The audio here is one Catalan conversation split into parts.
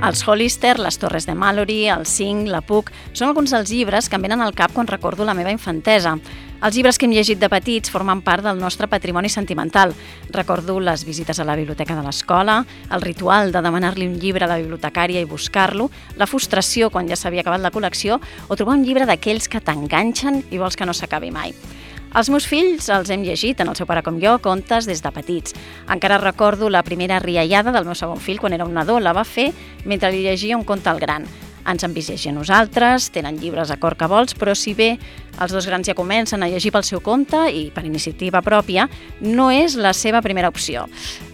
Els Hollister, les Torres de Mallory, el Cinc, la Puc, són alguns dels llibres que em venen al cap quan recordo la meva infantesa. Els llibres que hem llegit de petits formen part del nostre patrimoni sentimental. Recordo les visites a la biblioteca de l'escola, el ritual de demanar-li un llibre a la bibliotecària i buscar-lo, la frustració quan ja s'havia acabat la col·lecció o trobar un llibre d'aquells que t'enganxen i vols que no s'acabi mai. Els meus fills els hem llegit, tant el seu pare com jo, contes des de petits. Encara recordo la primera riallada del meu segon fill quan era un nadó. La va fer mentre li llegia un conte al gran. Ens han vist llegir a nosaltres, tenen llibres a cor que vols, però si bé els dos grans ja comencen a llegir pel seu compte i per iniciativa pròpia, no és la seva primera opció.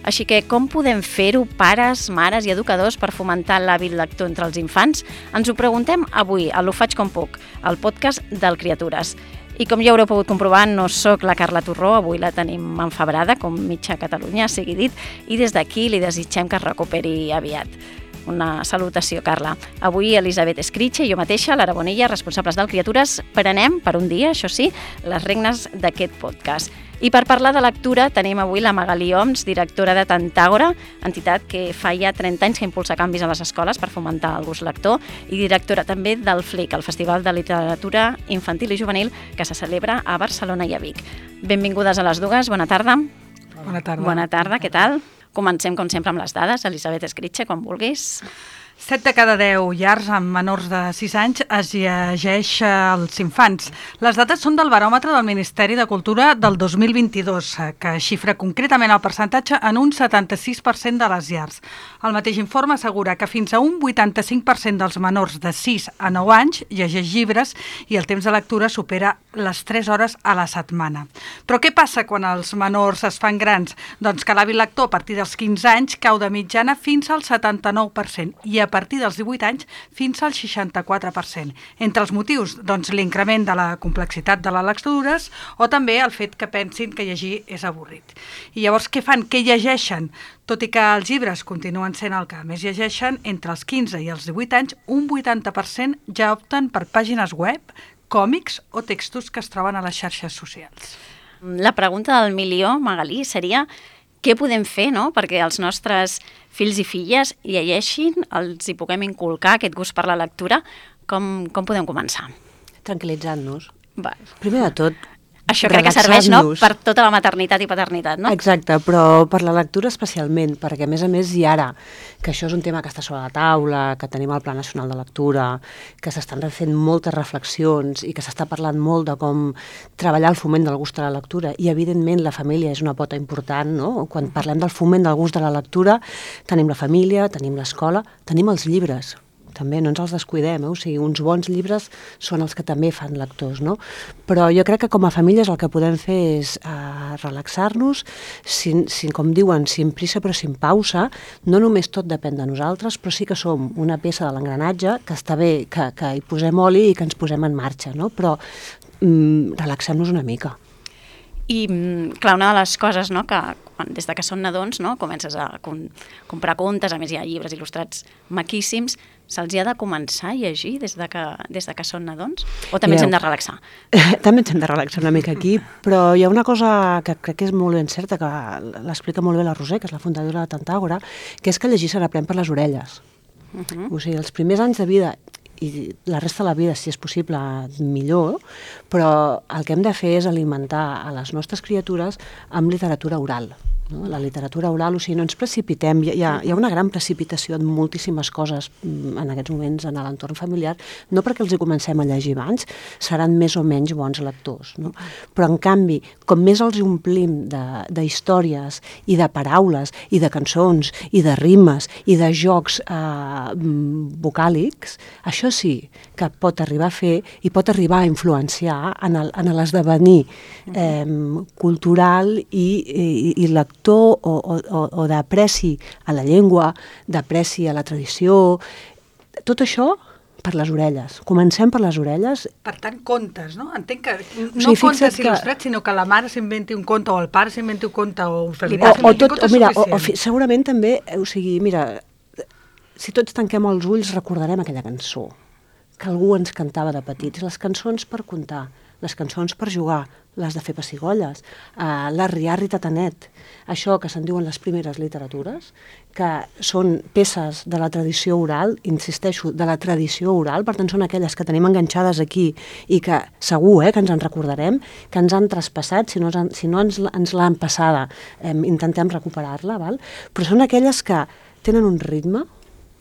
Així que com podem fer-ho, pares, mares i educadors, per fomentar l'hàbit lector entre els infants? Ens ho preguntem avui a L'Ho faig com puc, el podcast del Criatures. I com ja haureu pogut comprovar, no sóc la Carla Torró, avui la tenim enfebrada, com mitja Catalunya, sigui dit, i des d'aquí li desitgem que es recuperi aviat. Una salutació, Carla. Avui Elisabet Escritxe i jo mateixa, Lara Bonilla, responsables del Criatures, prenem, per un dia, això sí, les regnes d'aquest podcast. I per parlar de lectura tenim avui la Magalí Oms, directora de Tantàgora, entitat que fa ja 30 anys que impulsa canvis a les escoles per fomentar el gust lector, i directora també del FLIC, el Festival de Literatura Infantil i Juvenil, que se celebra a Barcelona i a Vic. Benvingudes a les dues, bona tarda. Bona tarda. Bona tarda, què tal? Comencem, com sempre, amb les dades. Elisabet Escritxe, quan vulguis. 7 de cada 10 llars amb menors de 6 anys es llegeix als infants. Les dades són del baròmetre del Ministeri de Cultura del 2022, que xifra concretament el percentatge en un 76% de les llars. El mateix informe assegura que fins a un 85% dels menors de 6 a 9 anys llegeix llibres i el temps de lectura supera les 3 hores a la setmana. Però què passa quan els menors es fan grans? Doncs que l'hàbit lector a partir dels 15 anys cau de mitjana fins al 79% i a partir dels 18 anys fins al 64%. Entre els motius, doncs, l'increment de la complexitat de les lectures o també el fet que pensin que llegir és avorrit. I llavors què fan? Què llegeixen? Tot i que els llibres continuen sent el que més llegeixen, entre els 15 i els 18 anys, un 80% ja opten per pàgines web, còmics o textos que es troben a les xarxes socials. La pregunta del milió, Magalí, seria què podem fer, no?, perquè els nostres fills i filles llegeixin, els hi puguem inculcar aquest gust per la lectura. Com podem començar? Tranquil·litzant-nos. Primer de tot, això crec que serveix, no?, per tota la maternitat i paternitat, no? Exacte, però per la lectura especialment, perquè a més i ara, que això és un tema que està sobre la taula, que tenim el Pla Nacional de Lectura, que s'estan fent moltes reflexions i que s'està parlant molt de com treballar el foment del gust de la lectura, i evidentment la família és una pota important, no? Quan parlem del foment del gust de la lectura, tenim la família, tenim l'escola, tenim els llibres, també no ens els descuidem, o sigui, uns bons llibres són els que també fan lectors, no? Però jo crec que com a famílies el que podem fer és relaxar-nos, com diuen, sin prisa però sin pausa. No només tot depèn de nosaltres, però sí que som una peça de l'engranatge, que està bé que hi posem oli i que ens posem en marxa, no? Però relaxem-nos una mica. I, clar, una de les coses, no?, que des de que són nadons, no?, comences a comprar contes, a més hi ha llibres il·lustrats maquíssims, se'ls ha de començar a llegir des de que són nadons? O també ens hem de relaxar? També ens hem de relaxar una mica aquí, però hi ha una cosa que crec que és molt ben certa, que l'explica molt bé la Roser, que és la fundadora de Tantàgora, que és que llegir se n'aprèn per les orelles. O sigui, els primers anys de vida i la resta de la vida, si és possible, millor, però el que hem de fer és alimentar a les nostres criatures amb literatura oral. No? La literatura oral, o sigui, no ens precipitem, hi ha una gran precipitació en moltíssimes coses en aquests moments en l'entorn familiar, no perquè els hi comencem a llegir abans, seran més o menys bons lectors, no? Però en canvi, com més els omplim d'històries i de paraules i de cançons i de rimes i de jocs vocàlics, això sí que pot arribar a fer i pot arribar a influenciar en l'esdevenir cultural i lector o d'apreci a la llengua, d'apreci a la tradició, tot això per les orelles. Comencem per les orelles. Per tant, contes, no? Entenc que no contes il·lustrats, sinó que la mare s'inventi un conte o el pare s'inventi un conte o un familiar s'inventi un conte suficient. Segurament també, o sigui, mira, si tots tanquem els ulls recordarem aquella cançó que algú ens cantava de petits. Les cançons per contar les cançons per jugar, les de fer pessigolles, l'arriarri tatanet, això que se'n diuen les primeres literatures, que són peces de la tradició oral, insisteixo, de la tradició oral, per tant són aquelles que tenim enganxades aquí i que segur que ens en recordarem, que ens han traspassat, si no ens l'han passada, intentem recuperar-la, val? Però són aquelles que tenen un ritme,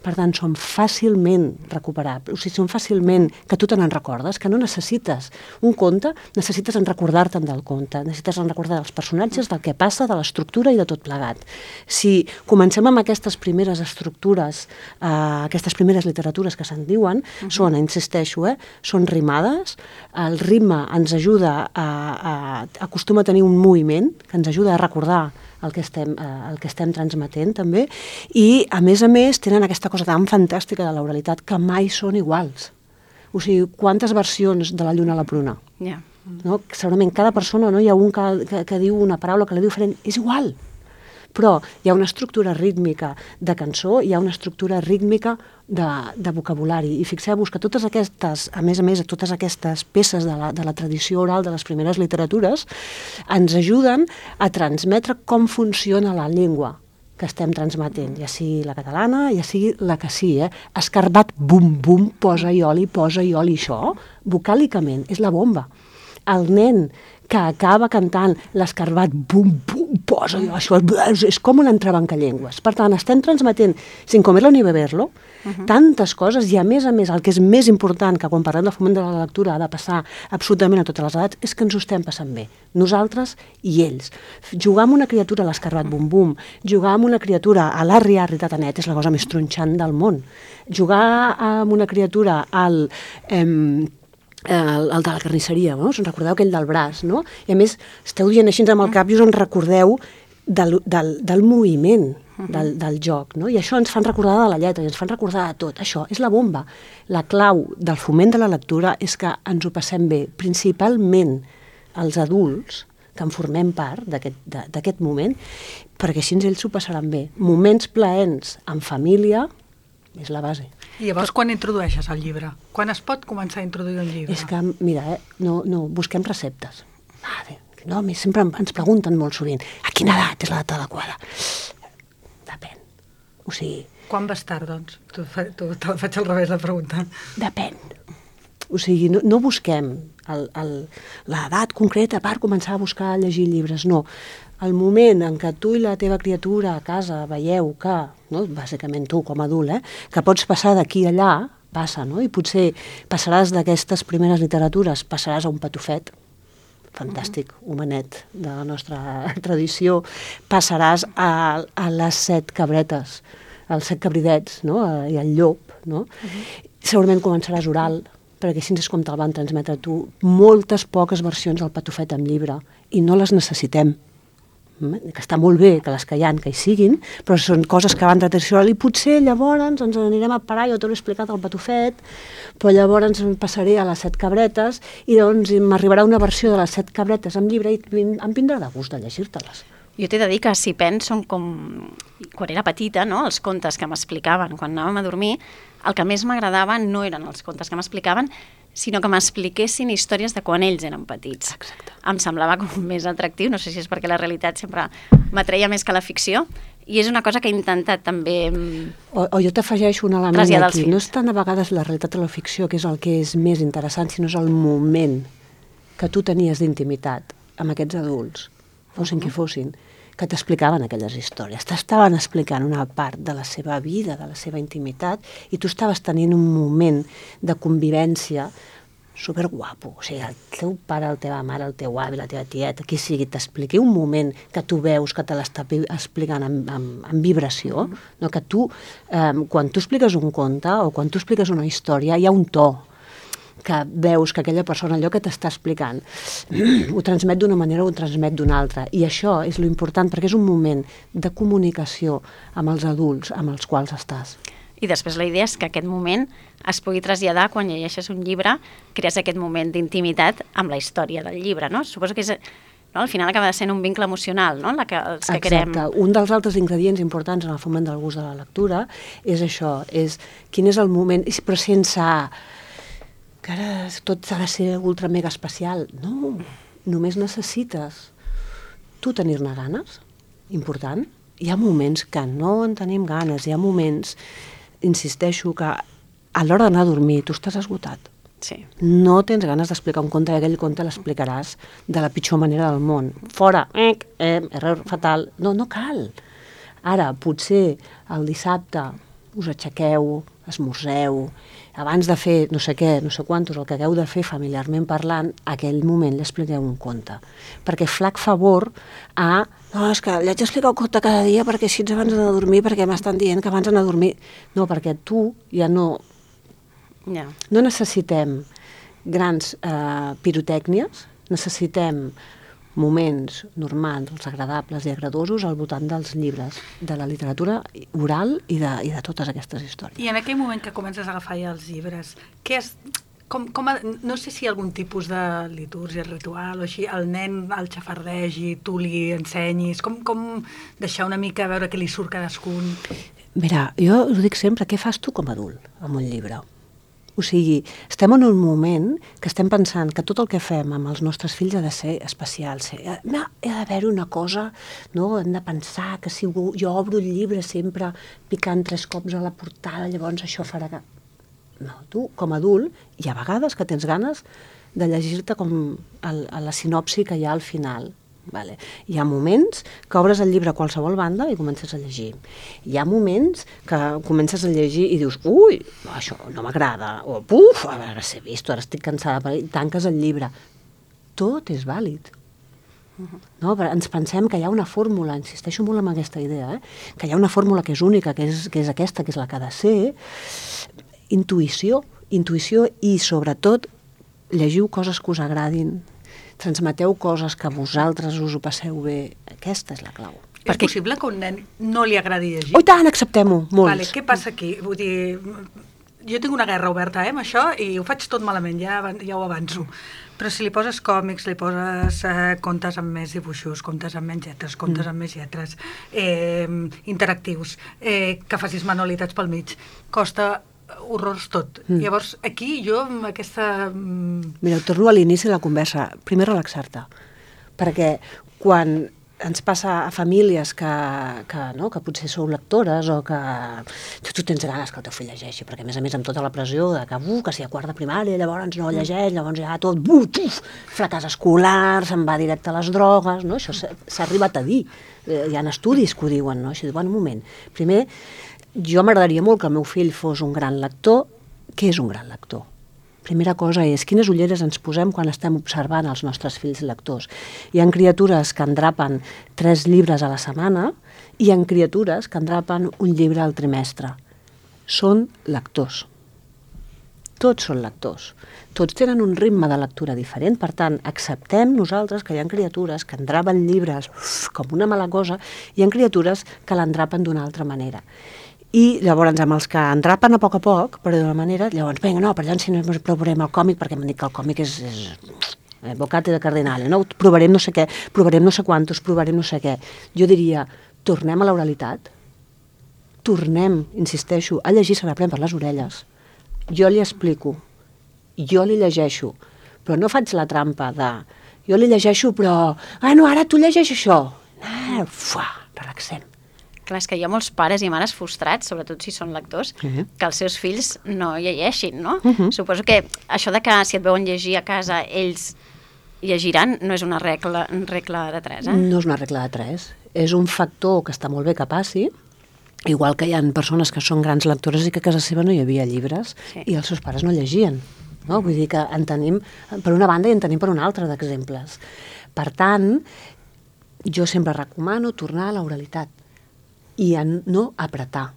per tant, són fàcilment recuperables, o sigui, són fàcilment que tu te n'en recordes, que no necessites un conte, necessites en recordar-te'n del conte, necessites en recordar dels personatges, del que passa, de l'estructura i de tot plegat. Si comencem amb aquestes primeres estructures, aquestes primeres literatures que se'n diuen, són, insisteixo, són rimades, el ritme ens ajuda acostuma a tenir un moviment que ens ajuda a recordar el que estem transmetent també, i a més tenen aquesta cosa tan fantàstica de l'oralitat que mai són iguals. O sigui, quantes versions de la lluna a la pruna? Yeah. No? Segurament cada persona, no? Hi ha un que diu una paraula que la diu diferent, és igual. Però hi ha una estructura rítmica de cançó, hi ha una estructura rítmica de vocabulari. I fixeu-vos que totes aquestes, a més, totes aquestes peces de la tradició oral de les primeres literatures ens ajuden a transmetre com funciona la llengua que estem transmetent, ja sigui la catalana, ja sigui la que sí, escarbat, bum, bum, posa-hi oli, això, vocàlicament, és la bomba. El nen que acaba cantant l'escarbat, bum, bum, posa-hi això, és com un entrebancallengües. Per tant, estem transmetent, sin comerlo ni beberlo, tantes coses, i a més, el que és més important, que quan parlem del foment de la lectura ha de passar absolutament a totes les edats, és que ens ho estem passant bé, nosaltres i ells. Jugar amb una criatura a l'escarbat bum bum, jugar amb una criatura a l'arri tatanet és la cosa més tronxant del món. Jugar amb una criatura el de la carnisseria, no? Us en recordeu aquell del braç, no? I a més, esteu dient així amb el cap i us en recordeu del moviment del joc, no? I això ens fan recordar de la lletra, i ens fan recordar de tot. Això és la bomba. La clau del foment de la lectura és que ens ho passem bé, principalment els adults, que en formem part d'aquest moment, perquè així ells s'ho passaran bé. Moments plaents en família és la base. I llavors, quan introdueixes el llibre? Quan es pot començar a introduir un llibre? És que, mira, no, busquem receptes. No, sempre ens pregunten molt sovint, a quina edat és l'edat adequada? Depèn. O sigui... Quan vas tard, doncs? Te la faig al revés, la pregunta. Depèn. O sigui, no busquem l'edat concreta per començar a buscar a llegir llibres, no. El moment en què tu i la teva criatura a casa veieu que, no, bàsicament tu com a adult, que pots passar d'aquí a allà, passa, no? I potser passaràs d'aquestes primeres literatures, passaràs a un patufet, fantàstic, homenet de la nostra tradició, passaràs a les 7 cabretes, als 7 cabridets, no? I al llop, no? Segurament començaràs oral, perquè així és com te'l van transmetre tu, moltes poques versions del patufet en llibre, i no les necessitem. Que està molt bé que les que hi ha, que hi siguin, però són coses que van de tradició oral i potser llavors ens anirem a parar, jo t'ho he explicat al patufet, però llavors passaré a les 7 cabretes i llavors m'arribarà una versió de les 7 cabretes en llibre i em vindrà de gust de llegir-te-les. Jo t'he de dir que si penso com quan era petita, no? Els contes que m'explicaven quan anàvem a dormir, el que més m'agradava no eren els contes que m'explicaven, sinó que m'expliquessin històries de quan ells eren petits. Exacte. Em semblava com més atractiu, no sé si és perquè la realitat sempre m'atreia més que la ficció, i és una cosa que he intentat també O jo t'afegeixo un element aquí. No és tant a vegades la realitat de la ficció, que és el que és més interessant, sinó és el moment que tu tenies d'intimitat amb aquests adults, fossin qui fossin, que t'explicaven aquelles històries. T'estaven explicant una part de la seva vida, de la seva intimitat, i tu estaves tenint un moment de convivència superguapo. O sigui, el teu pare, la teva mare, el teu avi, la teva tieta, qui sigui, t'expliqui un moment que tu veus que te l'està explicant en vibració, no? Que tu, quan tu expliques un conte o quan tu expliques una història, hi ha un to que veus que aquella persona, allò que t'està explicant, ho transmet d'una manera o ho transmet d'una altra. I això és lo important, perquè és un moment de comunicació amb els adults amb els quals estàs. I després la idea és que aquest moment es pugui traslladar quan llegeixes un llibre, crees aquest moment d'intimitat amb la història del llibre, no? Suposo que és... No? Al final acaba sent un vincle emocional, no? Els que querem. Exacte. Un dels altres ingredients importants en el foment del gust de la lectura és això, és quin és el moment, però sense... que ara tot ha de ser ultra mega especial. No, només necessites tu tenir-ne ganes, important. Hi ha moments que no en tenim ganes, hi ha moments, insisteixo, que a l'hora d'anar a dormir tu estàs esgotat. Sí. No tens ganes d'explicar un conte i aquell conte l'explicaràs de la pitjor manera del món. Fora, error fatal. No, no cal. Ara, potser el dissabte us aixequeu, esmorzeu, abans de fer no sé què, no sé quantos, el que hagueu de fer familiarment parlant, aquell moment li expliqueu un conte. Perquè flac favor a... No, és que li haig d'explicar un conte cada dia perquè així abans d'anar a dormir, perquè m'estan dient que abans d'anar a dormir... No, perquè tu ja no... No necessitem grans pirotècnies, necessitem moments normals, agradables i agradadosos al voltant dels llibres, de la literatura oral i de totes aquestes històries. I en aquell moment que comences a agafar ja els llibres, què és... no sé si hi ha algun tipus de litúrgia, ritual o així, el nen el xafardegi, tu li ensenyis, com deixar una mica veure què li surt cadascun? Mira, jo us dic sempre, què fas tu com a adult amb un llibre? O sigui, estem en un moment que estem pensant que tot el que fem amb els nostres fills ha de ser especial. Ha d'haver una cosa, no? Hem de pensar que si jo obro el llibre sempre picant 3 cops a la portada, llavors això farà que... No, tu, com a adult, hi ha vegades que tens ganes de llegir-te com la sinopsi que hi ha al final. Vale. Hi ha moments que obres el llibre a qualsevol banda i comences a llegir. Hi ha moments que comences a llegir i dius, ui, això no m'agrada, o puf, ara s'he vist, ara estic cansada, i tanques el llibre. Tot és vàlid. No? Ens pensem que hi ha una fórmula, insisteixo molt en aquesta idea, que hi ha una fórmula que és única, que és aquesta, que és la que ha de ser. Intuïció i, sobretot, llegiu coses que us agradin, transmeteu coses que vosaltres us ho passeu bé. Aquesta és la clau. És possible que a un nen no li agradi llegir? Oh, i tant, acceptem-ho, molts. Vale, què passa aquí? Vull dir, jo tinc una guerra oberta amb això i ho faig tot malament, ja ho avanço. Però si li poses còmics, li poses contes amb més dibuixos, contes amb menys lletres, contes amb més lletres, interactius, que facis manualitats pel mig, costa horrors tot. Llavors, aquí jo amb aquesta... Mira, torno a l'inici de la conversa. Primer relaxar-te, perquè quan ens passa a famílies que potser sou lectores o que tu tens ganes que el teu fill llegeixi, perquè a més amb tota la pressió de que si a quart de primària llavors no llegeix, llavors ja tot fracàs escolar, se'n va directe a les drogues, no? Això s'ha arribat a dir. Hi ha estudis que ho diuen, no? Així, un moment. Primer, jo m'agradaria molt que el meu fill fos un gran lector. Què és un gran lector? Primera cosa és quines ulleres ens posem quan estem observant els nostres fills lectors. Hi ha criatures que endrapen 3 llibres a la setmana i hi ha criatures que endrapen un llibre al trimestre. Són lectors. Tots són lectors. Tots tenen un ritme de lectura diferent, per tant, acceptem nosaltres que hi ha criatures que endrapen llibres com una mala cosa i hi ha criatures que l'endrapen d'una altra manera. I llavors amb els que endrapen a poc, però d'una manera, llavors, vinga, no, per llavors si no provarem el còmic, perquè m'han dit que el còmic és bocate de cardinale, no? Provarem no sé què, provarem no sé quantos, provarem no sé què. Jo diria, tornem a l'oralitat, tornem, insisteixo, a llegir se n'aprèn per les orelles. Jo li explico, jo li llegeixo, però no faig la trampa de... Jo li llegeixo, però... no, ara tu llegeix això. Relaxem. Clar, és que hi ha molts pares i mares frustrats, sobretot si són lectors, que els seus fills no llegeixin, no? Suposo que això de que si et veuen llegir a casa ells llegiran no és una regla de 3, No és una regla de 3. És un factor que està molt bé que passi, igual que hi ha persones que són grans lectores i que a casa seva no hi havia llibres i els seus pares no llegien. No? Vull dir que en tenim per una banda i en tenim per una altra d'exemples. Per tant, jo sempre recomano tornar a l'oralitat i no apretar.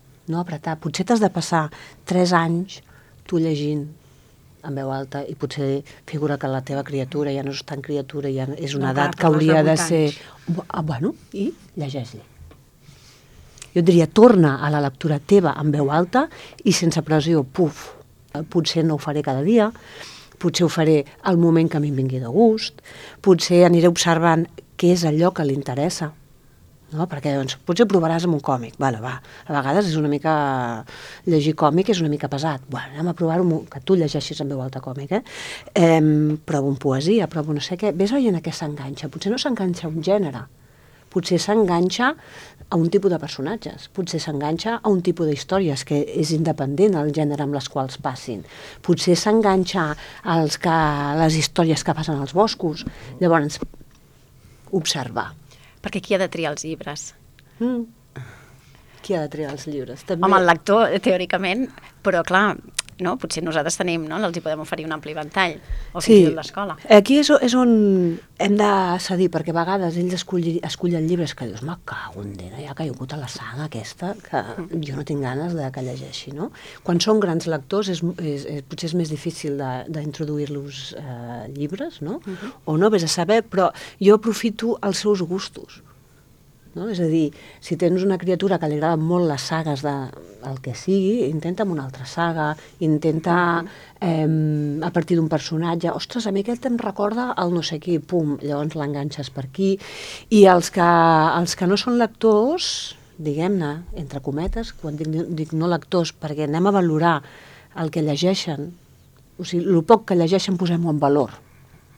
Potser t'has de passar 3 anys tu llegint en veu alta i potser figura que la teva criatura ja no és tan criatura, ja és una edat que hauria de ser... I llegeix-li. Jo diria, torna a la lectura teva en veu alta i sense pressió, potser no ho faré cada dia, potser ho faré al moment que a mi em vingui de gust, potser aniré observant què és allò que li interessa. no? Perquè doncs, potser provaràs amb un còmic, vale, va. A vegades és una mica... llegir còmic és una mica pesat. Bueno, anem a provar-ho, que tu llegeixis en veu alta còmic, Prova un poesia, prova no sé què. Ves veient a què s'enganxa. Potser no s'enganxa a un gènere, potser s'enganxa a un tipus de personatges, potser s'enganxa a un tipus d'històries que és independent del gènere amb les quals passin, potser s'enganxa a les històries que passen als boscos. Llavors, observar. Perquè qui ha de triar els llibres? Qui ha de triar els llibres? També... Home, el lector, teòricament, però clar, no? Potser nosaltres tenim, no? Els hi podem oferir un ampli ventall, o fins i tot l'escola. Aquí és on hem de cedir, perquè a vegades ells escullen llibres que dius, me cago en Déu, ja ha caigut a la saga aquesta, que jo no tinc ganes de que llegeixi, no? Quan són grans lectors potser és més difícil d'introduir-los llibres, no? O no, vés a saber, però jo aprofito els seus gustos. No? És a dir, si tens una criatura que li agraden molt les sagues del que sigui, intenta amb una altra saga, intenta a partir d'un personatge, ostres, a mi aquest em recorda el no sé qui, pum, llavors l'enganxes per aquí. I els que no són lectors, diguem-ne, entre cometes, quan dic no lectors, perquè anem a valorar el que llegeixen, o sigui, el poc que llegeixen posem-ho en valor,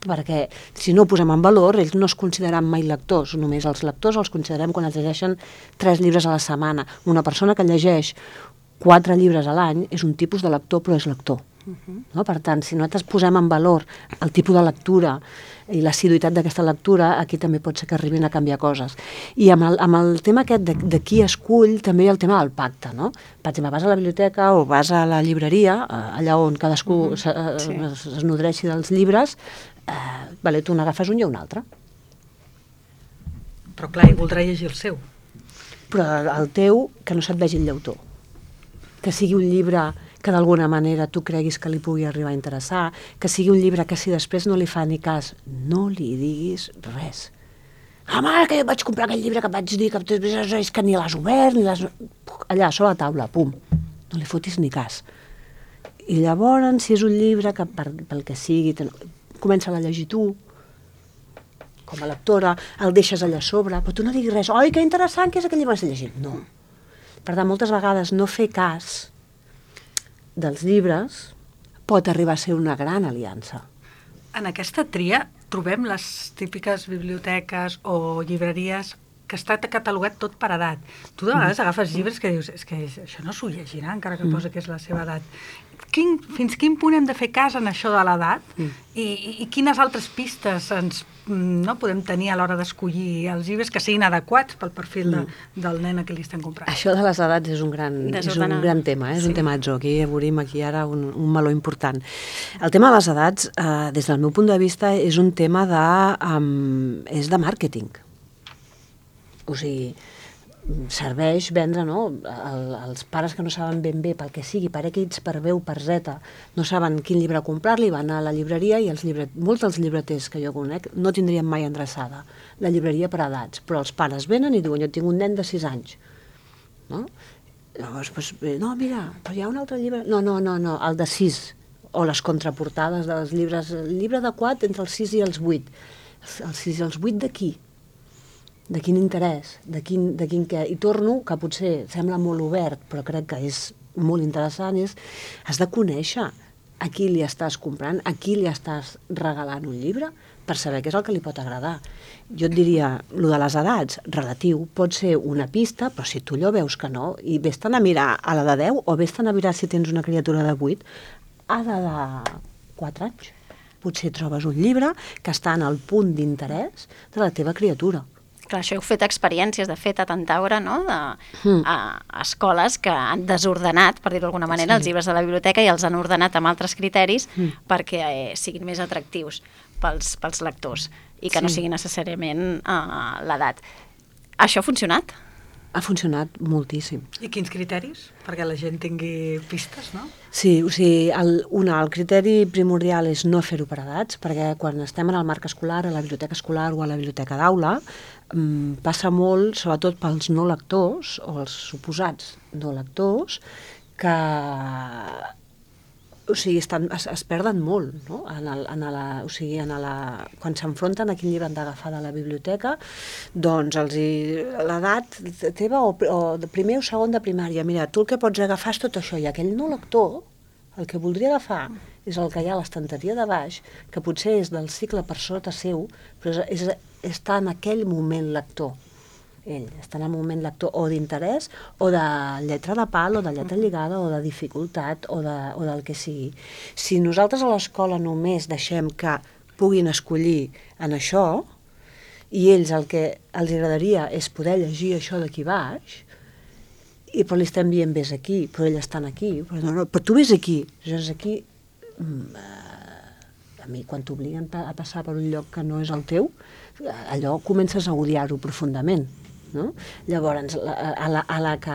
perquè si no ho posem en valor, ells no es consideren mai lectors, només els lectors els considerem quan es llegeixen 3 llibres a la setmana. Una persona que llegeix 4 llibres a l'any és un tipus de lector, però és lector. No? Per tant, si nosaltres posem en valor el tipus de lectura i l'assiduïtat d'aquesta lectura, aquí també pot ser que arribin a canviar coses. I amb el tema aquest de qui escull, també hi ha el tema del pacte, no? Per exemple, vas a la biblioteca o vas a la llibreria, allà on cadascú es nodreixi dels llibres, vale, tu n'agafes un i un altre. Però clar, ell voldrà llegir el seu. Però el teu, que no se't vegi el llautó. Que sigui un llibre que d'alguna manera tu creguis que li pugui arribar a interessar, que sigui un llibre que si després no li fa ni cas, no li diguis res. Mare, que jo vaig comprar aquell llibre que vaig dir que és que ni l'has obert, ni l'has... Allà, sobre la taula, pum, no li fotis ni cas. I llavors, si és un llibre que pel que sigui, comença a llegir tu, com a lectora, el deixes allà a sobre, però tu no diguis res, oi, que interessant que és aquell llibre que has llegit. No. Per tant, moltes vegades no fer cas dels llibres pot arribar a ser una gran aliança. En aquesta tria trobem les típiques biblioteques o llibreries que està catalogat tot per edat. Tu de vegades agafes llibres que dius, és que això no s'ho llegirà, encara que posa que és la seva edat. Fins quin punt hem de fer cas en això de l'edat i quines altres pistes podem tenir a l'hora d'escollir els llibres que siguin adequats pel perfil del nen a qui li estem comprant? Això de les edats és un gran tema, és un temazo. Aquí obrim ara un meló important. El tema de les edats, des del meu punt de vista, és un tema és de màrqueting. O sigui, serveix vendre, no? Els pares que no saben ben bé pel que sigui, per X, per B o per Z, no saben quin llibre comprar-li, van a la llibreria i molts dels llibreters que jo conec no tindrien mai endreçada la llibreria per edats, però els pares venen i diuen, jo tinc un nen de 6 anys. No? Llavors, no, mira, però hi ha un altre llibre... No, el de 6, o les contraportades dels llibres, el llibre adequat entre els 6 i els 8. Els 6 i els 8 d'aquí? De quin interès, de quin què. I torno, que potser sembla molt obert, però crec que és molt interessant, has de conèixer a qui li estàs comprant, a qui li estàs regalant un llibre, per saber què és el que li pot agradar. Jo et diria, el de les edats, relatiu, pot ser una pista, però si tu allò veus que no, i vés-te'n a mirar a la de 10, o vés-te'n a mirar si tens una criatura de 8, a la de 4 anys. Potser trobes un llibre que està en el punt d'interès de la teva criatura. Clar, això heu fet experiències, de fet, a Tantaure, no?, a escoles que han desordenat, per dir-ho d'alguna manera, els llibres de la biblioteca i els han ordenat amb altres criteris perquè siguin més atractius pels lectors i que no sigui necessàriament l'edat. Això ha funcionat? Ha funcionat moltíssim. I quins criteris? Perquè la gent tingui pistes, no? Sí, o sigui, el criteri primordial és no fer-ho per edats, perquè quan estem en el marc escolar, a la biblioteca escolar o a la biblioteca d'aula, passa molt, sobretot pels no lectors, o els suposats no lectors, que o sigui, es perden molt, no? Quan s'enfronten a quin llibre han d'agafar de la biblioteca, doncs l'edat teva o de primer o segon de primària, mira, tu el que pots agafar és tot això, i aquell no lector, el que voldria agafar és el que hi ha a l'estanteria de baix, que potser és del cicle per sota seu, però està en aquell moment lector. Ell està en el moment lector o d'interès o de lletra de pal o de lletra lligada o de dificultat o del que sigui. Si nosaltres a l'escola només deixem que puguin escollir en això i ells el que els agradaria és poder llegir això d'aquí baix, però li estem dient vés aquí, però ells estan aquí, però tu vés aquí, llavors aquí a mi quan t'obliguen a passar per un lloc que no és el teu, allò comences a odiar-ho profundament. No? Llavors, a la que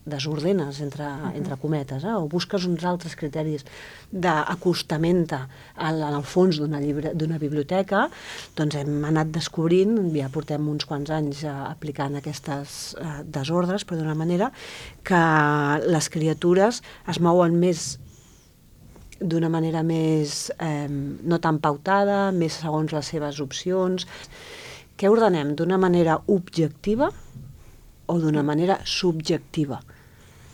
desordenes, entre cometes, o busques uns altres criteris d'acostament en el fons d'una biblioteca, doncs hem anat descobrint, ja portem uns quants anys aplicant aquestes desordres, però d'una manera que les criatures es mouen més d'una manera més no tan pautada, més segons les seves opcions. Què ordenem? D'una manera objectiva o d'una manera subjectiva?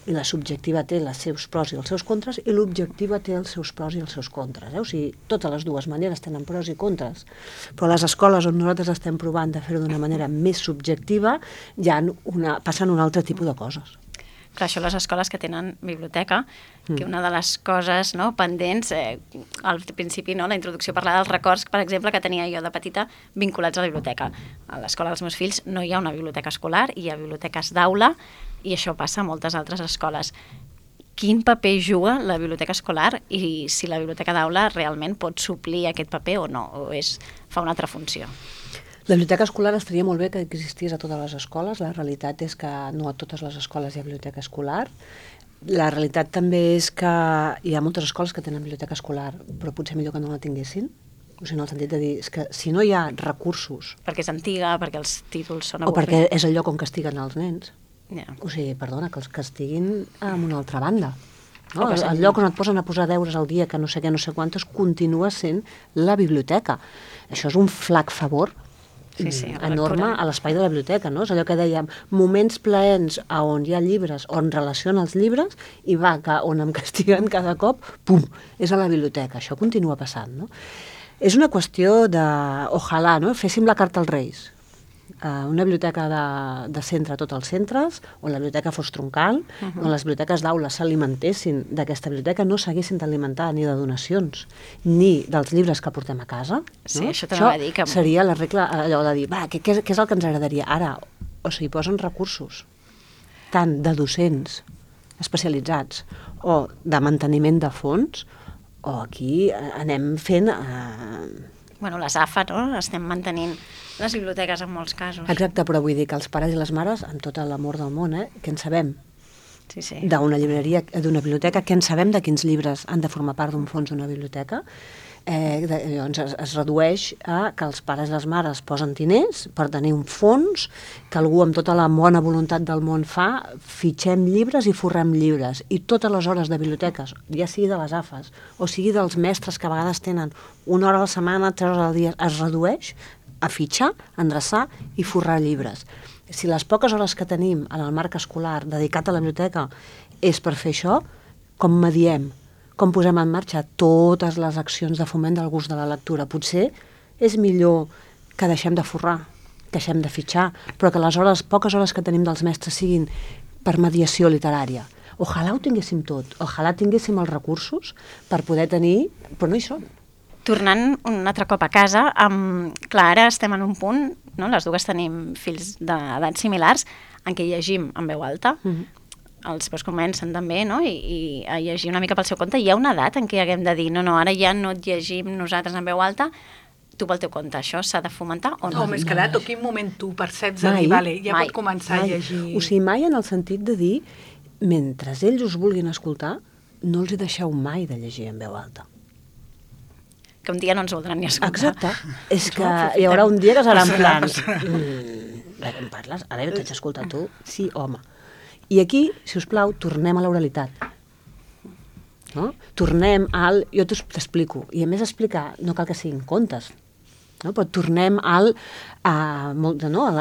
I la subjectiva té els seus pros i els seus contres i l'objectiva té els seus pros i els seus contres. O sigui, totes les dues maneres tenen pros i contres. Però a les escoles on nosaltres estem provant de fer-ho d'una manera més subjectiva ja passen un altre tipus de coses. Clar, això les escoles que tenen biblioteca, que una de les coses pendents, al principi la introducció parlava dels records, per exemple, que tenia jo de petita vinculats a la biblioteca. A l'escola dels meus fills no hi ha una biblioteca escolar, hi ha biblioteques d'aula i això passa a moltes altres escoles. Quin paper juga la biblioteca escolar i si la biblioteca d'aula realment pot suplir aquest paper o no, o fa una altra funció? La biblioteca escolar estaria molt bé que existís a totes les escoles. La realitat és que no a totes les escoles hi ha biblioteca escolar. La realitat també és que hi ha moltes escoles que tenen biblioteca escolar, però potser millor que no la tinguessin. O sigui, en el sentit de dir, és que si no hi ha recursos... Perquè és antiga, perquè els títols són avorrits. O perquè és el lloc on castiguen els nens. Yeah. O sigui, perdona, que els castiguin en una altra banda. No? El lloc on et posen a posar deures al dia, que no sé què, no sé quantes, continua sent la biblioteca. Això és un flac favor enorme a l'espai de la biblioteca, no? És allò que dèiem, moments plaents on hi ha llibres, on relaciona els llibres, i on em castiguen cada cop, pum, és a la biblioteca. Això continua passant, no? És una qüestió de, ojalà, no? Féssim la carta als Reis. Una biblioteca de centre a tots els centres, on la biblioteca fos troncal, on les biblioteques d'aula s'alimentessin d'aquesta biblioteca, no s'haguessin d'alimentar ni de donacions, ni dels llibres que portem a casa. Sí, no? això també va dir que... seria la regla, allò de dir, què és el que ens agradaria? Ara, o sigui, posen recursos, tant de docents especialitzats o de manteniment de fons, o aquí anem fent... Bueno, les AFA, no? Estem mantenint les biblioteques en molts casos. Exacte, però vull dir que els pares i les mares, amb tot l'amor del món, què en sabem? Sí. D'una llibreria, d'una biblioteca, què en sabem de quins llibres han de formar part d'un fons d'una biblioteca? Llavors es redueix a que els pares i les mares posen diners per tenir un fons, que algú amb tota la bona voluntat del món fitxem llibres i forrem llibres. I totes les hores de biblioteques, ja sigui de les AFAs, o sigui dels mestres que a vegades tenen 1 hora a la setmana, 3 hores al dia, es redueix a fitxar, endreçar i forrar llibres. Si les poques hores que tenim en el marc escolar dedicat a la biblioteca és per fer això, com mediem? Com posem en marxa totes les accions de foment del gust de la lectura? Potser és millor que deixem de forrar, que deixem de fitxar, però que les poques hores que tenim dels mestres siguin per mediació literària. Ojalà ho tinguéssim tot, ojalà tinguéssim els recursos per poder tenir, però no hi són. Tornant un altre cop a casa, clar, ara estem en un punt, no? Les dues tenim fills d'edats similars, en què llegim en veu alta, els meus comencen també, no? I a llegir una mica pel seu compte. Hi ha una edat en què haguem de dir, no, ara ja no et llegim nosaltres en veu alta, tu pel teu compte. Això s'ha de fomentar o no? O més que edat, o quin moment tu perceps de dir, vale, ja pot començar a llegir... O sigui, mai en el sentit de dir, mentre ells us vulguin escoltar, no els hi deixeu mai de llegir en veu alta. Que un dia no ens voldran ni escoltar. Exacte. És que hi haurà un dia que serà en plan... Què em parles? Ara jo t'haig d'escoltar tu? Sí, home. I aquí, si us plau, tornem a l'oralitat. No? Tornem al... Jo t'explico. I a més explicar, no cal que siguin contes, no? Però tornem a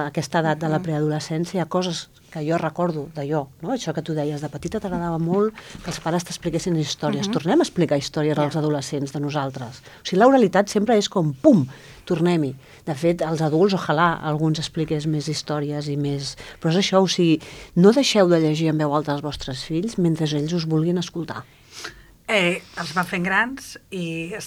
aquesta edat de la preadolescència, coses que jo recordo d'allò, no? Això que tu deies, de petita t'agradava molt que els pares t'expliquessin històries. Tornem a explicar històries als adolescents de nosaltres. O sigui, l'oralitat sempre és com, pum, tornem-hi. De fet, els adults, ojalà alguns expliqués més històries i més... Però és això, o sigui, no deixeu de llegir en veu alta als vostres fills mentre ells us vulguin escoltar. Els van fent grans i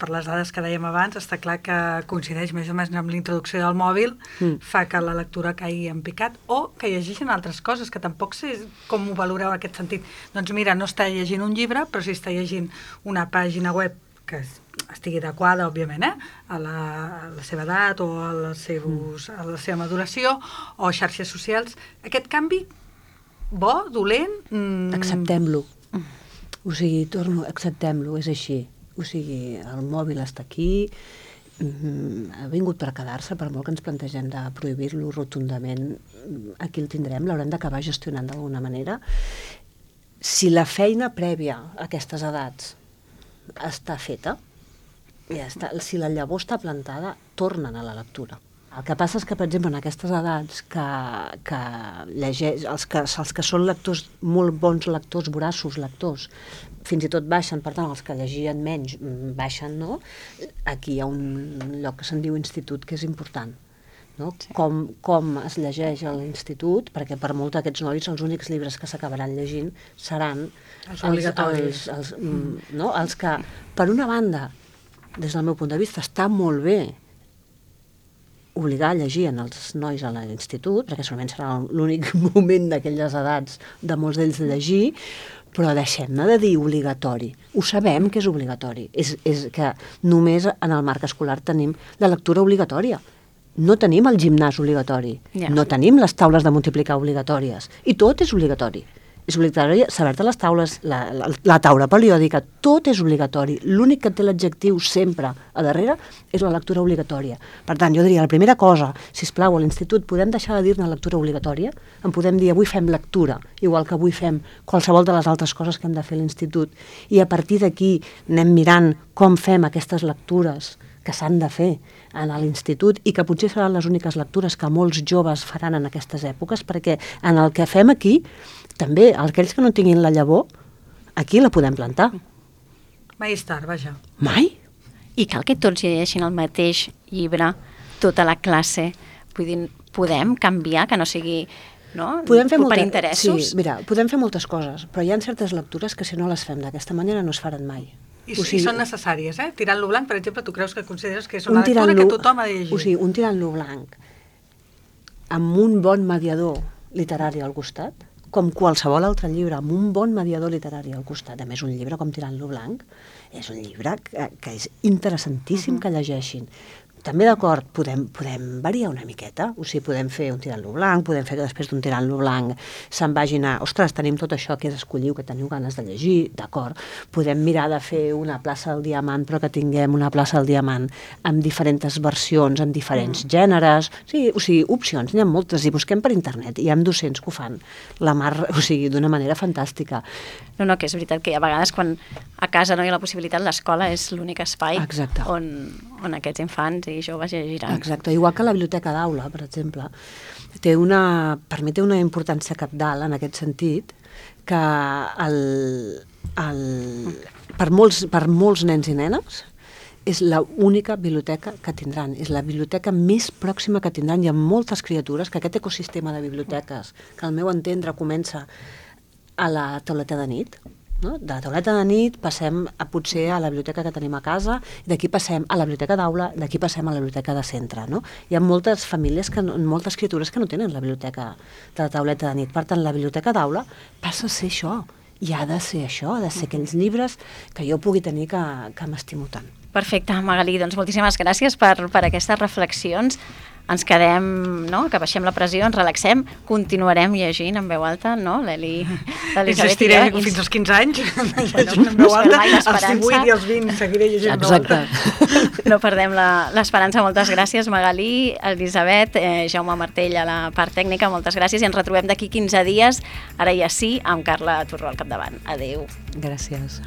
per les dades que dèiem abans, està clar que coincideix més o menys amb la introducció del mòbil, fa que la lectura caigui en picat, o que llegeixen altres coses, que tampoc sé com ho valoreu en aquest sentit. Doncs mira, no està llegint un llibre, però sí està llegint una pàgina web que estigui adequada, òbviament, a la seva edat o a la seva maduració, o xarxes socials. Aquest canvi, bo, dolent... Acceptem-lo. O sigui, acceptem-lo, és així. O sigui, el mòbil està aquí, ha vingut per quedar-se, per molt que ens plantegem de prohibir-lo rotundament, aquí el tindrem, l'haurem d'acabar gestionant d'alguna manera. Si la feina prèvia a aquestes edats està feta, ja està, si la llavor està plantada, tornen a la lectura. El que passa és que, per exemple, en aquestes edats que llegeix, els que són lectors, molt bons lectors, voraços lectors, fins i tot baixen, per tant, els que llegien menys baixen, no? Aquí hi ha un lloc que se'n diu institut, que és important, no? Sí. Com es llegeix a l'institut, perquè per molt d'aquests nois els únics llibres que s'acabaran llegint seran els obligatoris. Els que, per una banda, des del meu punt de vista, està molt bé obligar a llegir en els nois a l'institut, perquè segurament serà l'únic moment d'aquelles edats de molts d'ells de llegir, però deixem-ne de dir obligatori. Ho sabem que és obligatori. És que només en el marc escolar tenim la lectura obligatòria. No tenim el gimnàs obligatori. No tenim les taules de multiplicar obligatòries. I tot és obligatori. És obligatori saber-te les taules, la taula periòdica, tot és obligatori. L'únic que té l'adjectiu sempre a darrere és la lectura obligatòria. Per tant, jo diria, la primera cosa, sisplau, a l'institut podem deixar de dir-ne lectura obligatòria, en podem dir avui fem lectura, igual que avui fem qualsevol de les altres coses que hem de fer a l'institut, i a partir d'aquí anem mirant com fem aquestes lectures que s'han de fer a l'institut i que potser seran les úniques lectures que molts joves faran en aquestes èpoques, perquè en el que fem aquí, també, aquells que no tinguin la llavor, aquí la podem plantar. Mai és tard, vaja. Mai? I cal que tots llegeixin el mateix llibre, tota la classe. Vull dir, podem canviar, que no sigui... No? Per interessos? Sí, mira, podem fer moltes coses, però hi ha certes lectures que si no les fem d'aquesta manera no es faran mai. I són necessàries, eh? Tirant-lo blanc, per exemple, tu creus que consideres que és una lectura que tothom ha de llegir? O sigui, un tirant-lo blanc amb un bon mediador literari al costat, com qualsevol altre llibre, amb un bon mediador literari al costat. A més, un llibre com Tirant-lo blanc és un llibre que és interessantíssim que llegeixin. També d'acord, podem variar una miqueta, o sigui, podem fer un tirant-lo blanc, podem fer que després d'un tirant-lo blanc se'n vagin a, ostres, tenim tot això que és escolliu, que teniu ganes de llegir, d'acord, podem mirar de fer una plaça del diamant, però que tinguem una plaça del diamant amb diferents versions, amb diferents gèneres, sí, o sigui, opcions, n'hi ha moltes, i busquem per internet, hi ha docents que ho fan, la mar, o sigui, d'una manera fantàstica. No, que és veritat que a vegades quan a casa no hi ha la possibilitat, l'escola és l'únic espai on aquests infants i joves llegiran. Exacte, igual que la biblioteca d'aula, per exemple, per mi té una importància cabdal en aquest sentit, que per molts nens i nenes és l'única biblioteca que tindran, és la biblioteca més pròxima que tindran. Hi ha moltes criatures que aquest ecosistema de biblioteques, que al meu entendre comença a la tauleta de nit, no? De la tauleta de nit passem potser a la biblioteca que tenim a casa, i d'aquí passem a la biblioteca d'aula, d'aquí passem a la biblioteca de centre. No? Hi ha moltes famílies, moltes criatures que no tenen la biblioteca de la tauleta de nit. Per tant, la biblioteca d'aula passa a ser això, i ha de ser això, ha de ser aquells llibres que jo pugui tenir que m'estimo tant. Perfecte, Magalí, doncs moltíssimes gràcies per aquestes reflexions. ens quedem, no?, que baixem la pressió, ens relaxem, continuarem llegint en veu alta, no?, l'Elisabet. Insistiré fins als 15 anys, llegint en veu alta, als 18 i als 20 seguiré llegint en veu alta. Exacte. No perdem l'esperança. Moltes gràcies, Magalí, Elisabet, Jaume Martell a la part tècnica, moltes gràcies, i ens retrobem d'aquí 15 dies, ara ja sí, amb Carla Turró al capdavant. Adéu. Gràcies.